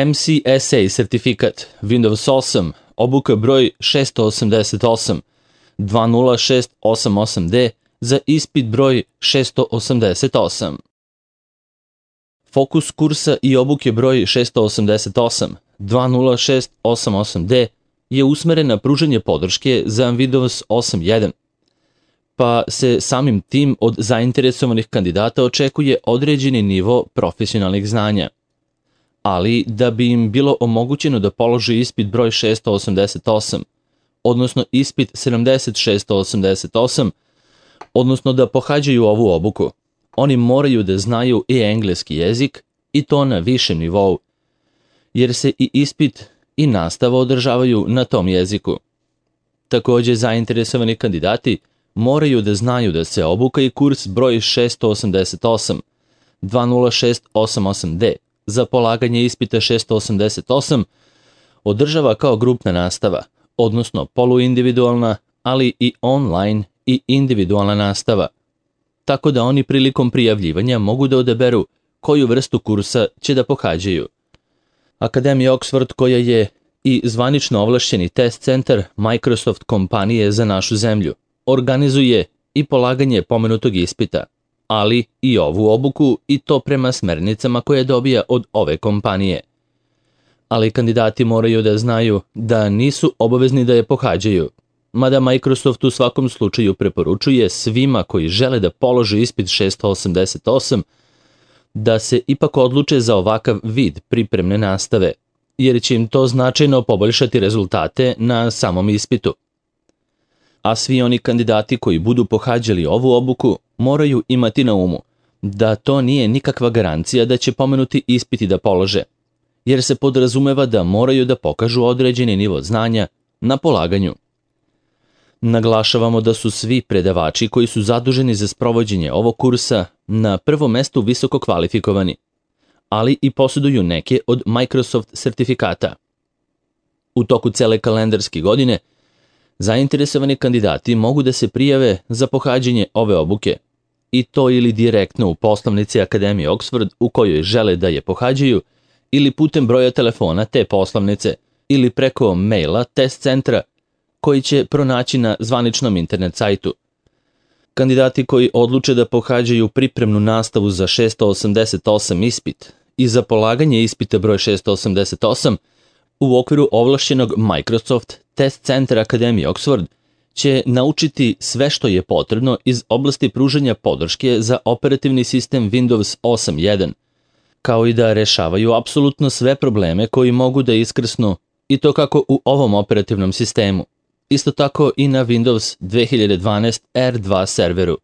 MCSA sertifikat, Windows 8, obuka broj 688, 20688D za ispit broj 688. Fokus kursa i obuke broj 688, 20688D je usmeren na pružanje podrške za Windows 8.1, pa se samim tim od zainteresovanih kandidata očekuje određeni nivo profesionalnih znanja. Ali da bi im bilo omogućeno da polože ispit broj 688, odnosno ispit 7688, odnosno da pohađaju ovu obuku, oni moraju da znaju i engleski jezik i to na višem nivou, jer se i ispit i nastava održavaju na tom jeziku. Takođe, zainteresovani kandidati moraju da znaju da se obuka i kurs broj 688, 20688D za polaganje ispita 688 održava kao grupna nastava, odnosno poluindividualna, ali i online i individualna nastava, tako da oni prilikom prijavljivanja mogu da odaberu koju vrstu kursa će da pohađaju. Akademija Oxford, koja je i zvanično ovlašćeni test centar Microsoft kompanije za našu zemlju, organizuje i polaganje pomenutog ispita, ali i ovu obuku i to prema smernicama koje dobija od ove kompanije. Ali kandidati moraju da znaju da nisu obavezni da je pohađaju, mada Microsoft u svakom slučaju preporučuje svima koji žele da polože ispit 688 da se ipak odluče za ovakav vid pripremne nastave, jer će im to značajno poboljšati rezultate na samom ispitu. A svi oni kandidati koji budu pohađali ovu obuku moraju imati na umu da to nije nikakva garancija da će pomenuti ispiti da polože, jer se podrazumeva da moraju da pokažu određeni nivo znanja na polaganju. Naglašavamo da su svi predavači koji su zaduženi za sprovođenje ovog kursa na prvom mestu visoko kvalifikovani, ali i posjeduju neke od Microsoft sertifikata. U toku cele kalendarske godine zainteresovani kandidati mogu da se prijave za pohađanje ove obuke, i to ili direktno u poslovnici Akademije Oxford u kojoj žele da je pohađaju, ili putem broja telefona te poslovnice, ili preko maila test centra koji će pronaći na zvaničnom internet sajtu. Kandidati koji odluče da pohađaju pripremnu nastavu za 688 ispit i za polaganje ispita broj 688 u okviru ovlašćenog Microsoft test centra Akademije Oxford će naučiti sve što je potrebno iz oblasti pružanja podrške za operativni sistem Windows 8.1, kao i da rešavaju apsolutno sve probleme koji mogu da iskrsnu, i to kako u ovom operativnom sistemu, isto tako i na Windows 2012 R2 serveru.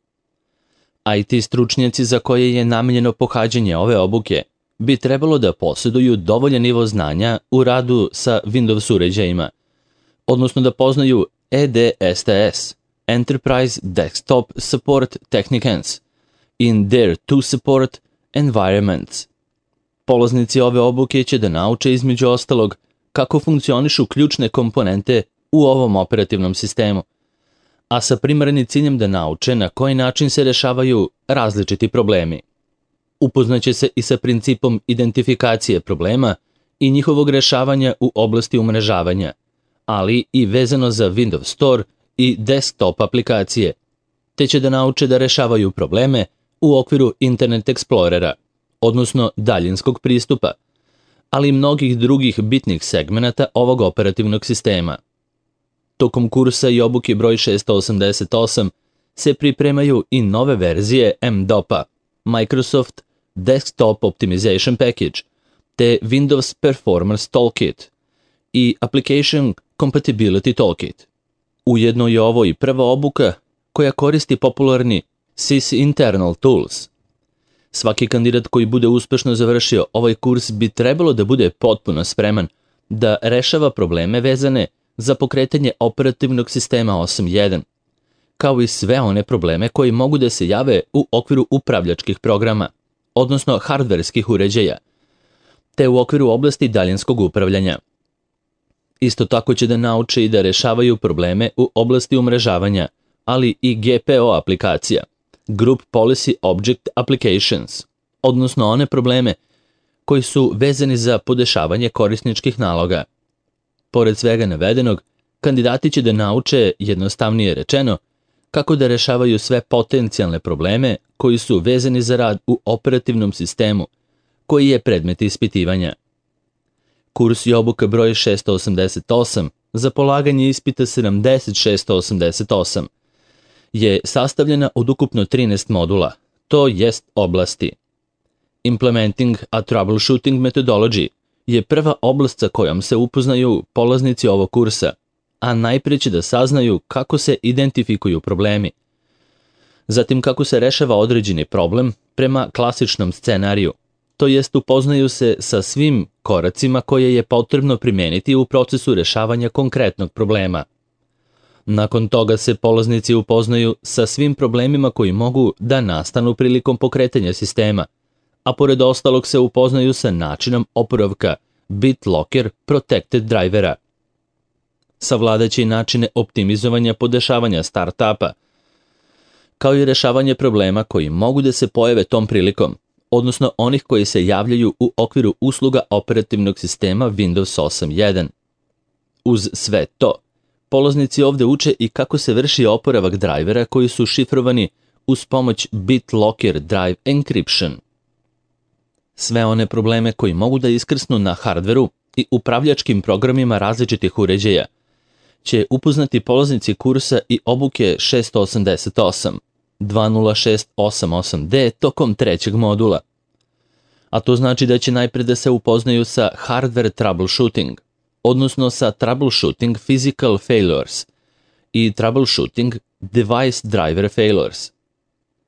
IT stručnjaci za koje je namenjeno pohađanje ove obuke bi trebalo da posjeduju dovoljan nivo znanja u radu sa Windows uređajima, odnosno da poznaju EDSTS, Enterprise Desktop Support Technicons, in their to support environments. Polaznici ove obuke će da nauče između ostalog kako funkcionišu ključne komponente u ovom operativnom sistemu, a sa primarnim ciljem da nauče na koji način se rešavaju različiti problemi. Upoznaće se i sa principom identifikacije problema i njihovog rešavanja u oblasti umrežavanja, ali i vezano za Windows Store i desktop aplikacije, te će da nauče da rešavaju probleme u okviru Internet Explorera, odnosno daljinskog pristupa, ali i mnogih drugih bitnih segmenata ovog operativnog sistema. Tokom kursa i obuke broj 688 se pripremaju i nove verzije MDOP-a, Microsoft Desktop Optimization Package, te Windows Performance Toolkit i Application Compatibility Toolkit. Ujedno je ovo i prva obuka koja koristi popularni sys internal tools. Svaki kandidat koji bude uspešno završio ovaj kurs bi trebalo da bude potpuno spreman da rešava probleme vezane za pokretanje operativnog sistema 8.1, kao i sve one probleme koji mogu da se jave u okviru upravljačkih programa, odnosno hardverskih uređaja, te u okviru oblasti daljinskog upravljanja. Isto tako će da nauče i da rešavaju probleme u oblasti umrežavanja, ali i GPO aplikacija, Group Policy Object Applications, odnosno one probleme koji su vezani za podešavanje korisničkih naloga. Pored svega navedenog, kandidati će da nauče, jednostavnije rečeno, kako da rešavaju sve potencijalne probleme koji su vezani za rad u operativnom sistemu, koji je predmet ispitivanja. Kurs i obuka broj 688 za polaganje ispita 7688 je sastavljena od ukupno 13 modula, to jest oblasti. Implementing a Troubleshooting Methodology je prva oblast sa kojom se upoznaju polaznici ovog kursa, a najprije će da saznaju kako se identifikuju problemi. Zatim kako se rešava određeni problem prema klasičnom scenariju, to jest upoznaju se sa svim koracima koje je potrebno primeniti u procesu rešavanja konkretnog problema. Nakon toga se polaznici upoznaju sa svim problemima koji mogu da nastanu prilikom pokretanja sistema, a pored ostalog se upoznaju sa načinom oporavka BitLocker Protected drivera. Savladaće i načine optimizovanja podešavanja startupa, kao i rešavanje problema koji mogu da se pojave tom prilikom, odnosno onih koji se javljaju u okviru usluga operativnog sistema Windows 8.1. Uz sve to, polaznici ovde uče i kako se vrši oporavak drajvera koji su šifrovani uz pomoć BitLocker Drive Encryption. Sve one probleme koji mogu da iskrsnu na hardveru i upravljačkim programima različitih uređaja će upoznati polaznici kursa i obuke 688, 20688D tokom trećeg modula. A to znači da će najpred da se upoznaju sa hardware troubleshooting, odnosno sa troubleshooting physical failures i troubleshooting device driver failures.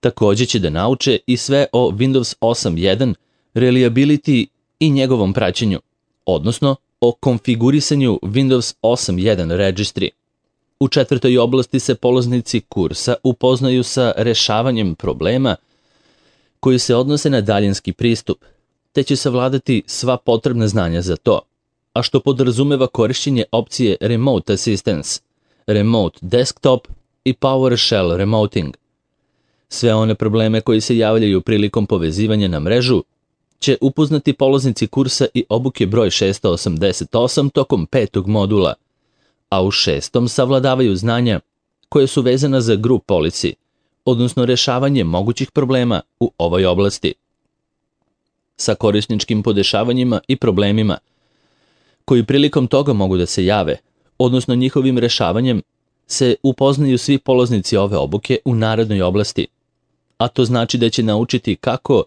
Takođe će da nauče i sve o Windows 8.1 reliability i njegovom praćenju, odnosno o konfigurisanju Windows 8.1 registry. U četvrtoj oblasti se polaznici kursa upoznaju sa rešavanjem problema koji se odnose na daljinski pristup, te će savladati sva potrebna znanja za to, a što podrazumeva korišćenje opcije Remote Assistance, Remote Desktop i PowerShell Remoting. Sve one probleme koji se javljaju prilikom povezivanja na mrežu će upoznati polaznici kursa i obuke broj 688 tokom petog modula, a u šestom savladavaju znanja koje su vezana za group policy, odnosno rešavanje mogućih problema u ovoj oblasti. Sa korisničkim podešavanjima i problemima koji prilikom toga mogu da se jave, odnosno njihovim rešavanjem, se upoznaju svi polaznici ove obuke u narednoj oblasti, a to znači da će naučiti kako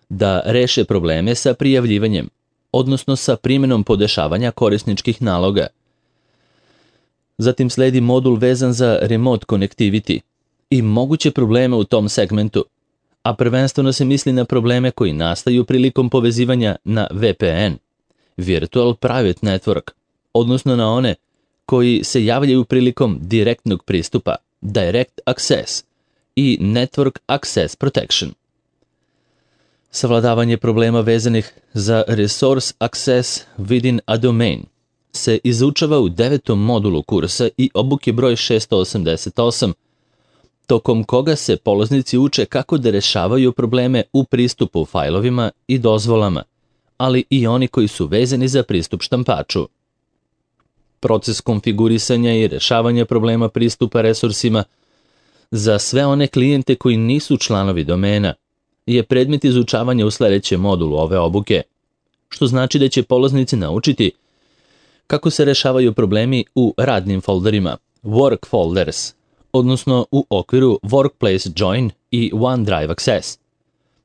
da reše probleme sa prijavljivanjem, odnosno sa primjenom podešavanja korisničkih naloga. Zatim sledi modul vezan za remote connectivity i moguće probleme u tom segmentu, a prvenstveno se misli na probleme koji nastaju prilikom povezivanja na VPN, Virtual Private Network, odnosno na one koji se javljaju prilikom direktnog pristupa, Direct Access i Network Access Protection. Savladavanje problema vezanih za Resource Access within a domain se izučava u 9. modulu kursa i obuke broj 688, tokom koga se polaznici uče kako da rešavaju probleme u pristupu fajlovima i dozvolama, ali i oni koji su vezani za pristup štampaču. Proces konfigurisanja i rešavanja problema pristupa resursima za sve one klijente koji nisu članovi domena je predmet izučavanja u sledećem modulu ove obuke, što znači da će polaznici naučiti kako se rešavaju problemi u radnim folderima, work folders, odnosno u okviru Workplace Join i OneDrive Access.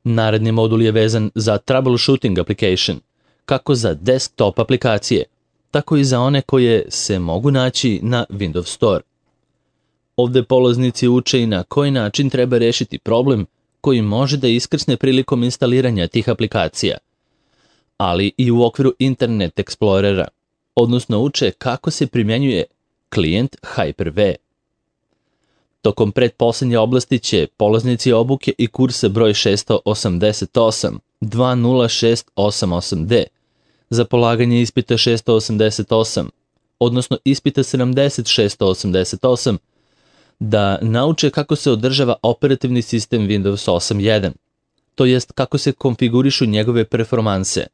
Naredni modul je vezan za troubleshooting application, kako za desktop aplikacije, tako i za one koje se mogu naći na Windows Store. Ovde polaznici uče i na koji način treba rešiti problem koji može da iskrsne prilikom instaliranja tih aplikacija, ali i u okviru Internet Explorera, odnosno uče kako se primjenjuje klijent Hyper-V. Tokom pretposlednje oblasti će polaznici obuke i kursa broj 688, 20688D, za polaganje ispita 688, odnosno ispita 7688, da nauče kako se održava operativni sistem Windows 8.1, to jest kako se konfigurišu njegove performanse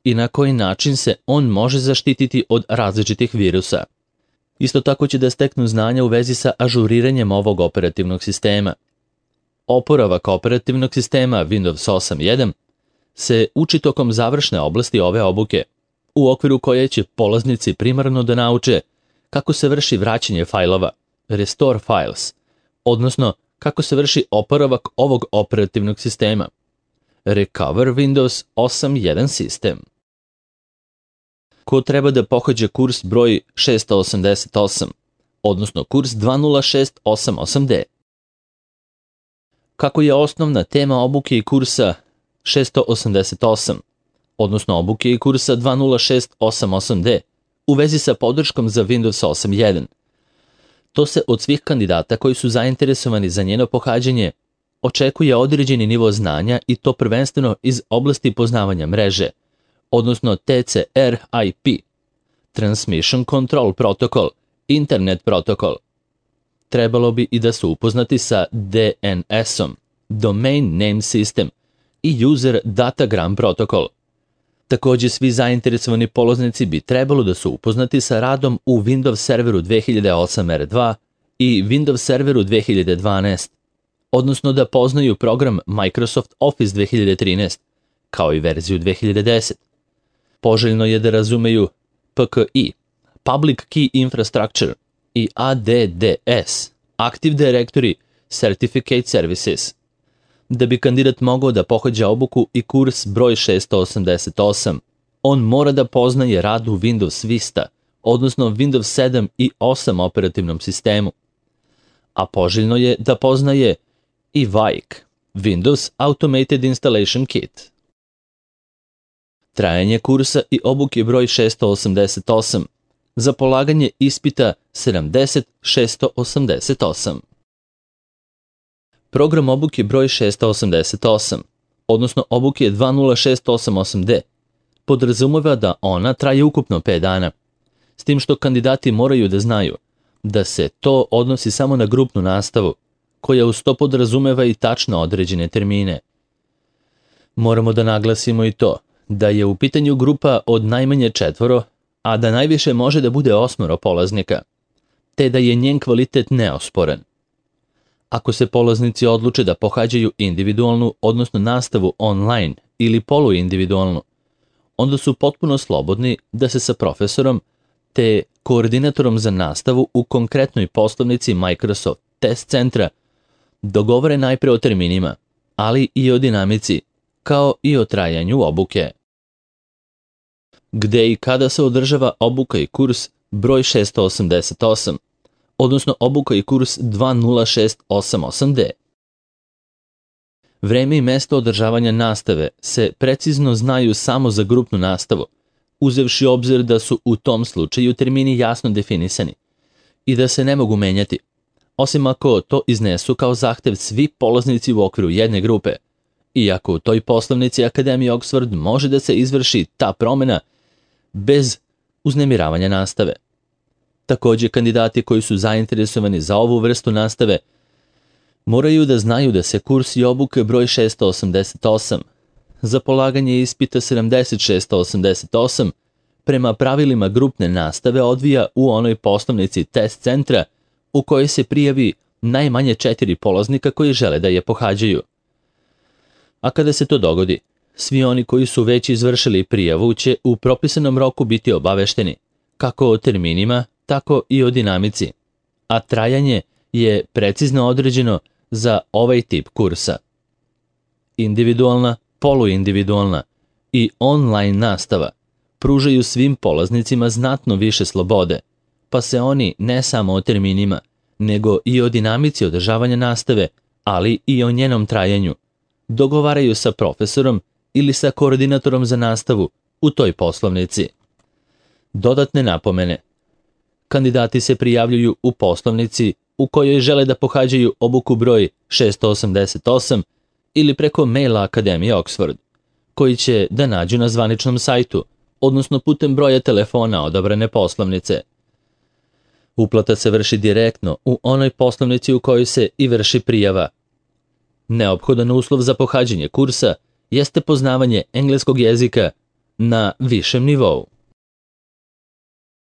i na koji način se on može zaštititi od različitih virusa. Isto tako će da steknu znanja u vezi sa ažuriranjem ovog operativnog sistema. Oporavak operativnog sistema Windows 8.1 se uči tokom završne oblasti ove obuke, u okviru koje će polaznici primarno da nauče kako se vrši vraćanje fajlova, restore files, odnosno kako se vrši oporavak ovog operativnog sistema, recover Windows 8.1 sistem. Ko treba da pohađa kurs broj 688, odnosno kurs 20688D? Kako je osnovna tema obuke i kursa 688, odnosno obuke i kursa 20688D, u vezi sa podrškom za Windows 8.1. To se od svih kandidata koji su zainteresovani za njeno pohađanje očekuje određeni nivo znanja i to prvenstveno iz oblasti poznavanja mreže, odnosno TCR/IP, Transmission Control Protocol, Internet protokol. Trebalo bi i da su upoznati sa DNS-om, Domain Name System i User Datagram protokol. Također svi zainteresovani polaznici bi trebalo da su upoznati sa radom u Windows Serveru 2008 R2 i Windows Serveru 2012, odnosno da poznaju program Microsoft Office 2013, kao i verziju 2010. Poželjno je da razumeju PKI, Public Key Infrastructure, i ADDS, Active Directory Certificate Services. Da bi kandidat mogao da pohađa obuku i kurs broj 688, on mora da poznaje rad u Windows Vista, odnosno Windows 7 i 8 operativnom sistemu. A poželjno je da poznaje i VAIC, Windows Automated Installation Kit. Trajanje kursa i obuke broj 688, za polaganje ispita 70688. Program obuke broj 688, odnosno obuke 20688D, podrazumeva da ona traje ukupno 5 dana, s tim što kandidati moraju da znaju da se to odnosi samo na grupnu nastavu, koja uz to podrazumeva i tačno određene termine. Moramo da naglasimo i to da je u pitanju grupa od najmanje 4, a da najviše može da bude 8 polaznika, te da je njen kvalitet neosporan. Ako se polaznici odluče da pohađaju individualnu, odnosno nastavu online ili poluindividualnu, onda su potpuno slobodni da se sa profesorom te koordinatorom za nastavu u konkretnoj poslovnici Microsoft Test Centra dogovore najpre o terminima, ali i o dinamici, kao i o trajanju obuke. Gde i kada se održava obuka i kurs broj 688, odnosno obuka i kurs 20688D. Vreme i mesto održavanja nastave se precizno znaju samo za grupnu nastavu, uzevši obzir da su u tom slučaju termini jasno definisani i da se ne mogu menjati, osim ako to iznesu kao zahtev svi polaznici u okviru jedne grupe, iako u toj poslovnici Akademije Oxford može da se izvrši ta promjena bez uznemiravanja nastave. Također, kandidati koji su zainteresovani za ovu vrstu nastave moraju da znaju da se kurs i obuke broj 688 za polaganje ispita 7688 prema pravilima grupne nastave odvija u onoj poslovnici test centra u kojoj se prijavi najmanje 4 polaznika koji žele da je pohađaju. A kada se to dogodi, svi oni koji su već izvršili prijavu će u propisanom roku biti obavešteni, kako o terminima, tako i o dinamici, a trajanje je precizno određeno za ovaj tip kursa. Individualna, poluindividualna i online nastava pružaju svim polaznicima znatno više slobode, pa se oni ne samo o terminima, nego i o dinamici održavanja nastave, ali i o njenom trajanju, dogovaraju sa profesorom ili sa koordinatorom za nastavu u toj poslovnici. Dodatne napomene. Kandidati se prijavljuju u poslovnici u kojoj žele da pohađaju obuku broj 688 ili preko maila Akademije Oxford, koji će da nađu na zvaničnom sajtu, odnosno putem broja telefona odabrane poslovnice. Uplata se vrši direktno u onoj poslovnici u kojoj se i vrši prijava. Neophodan uslov za pohađanje kursa jeste poznavanje engleskog jezika na višem nivou.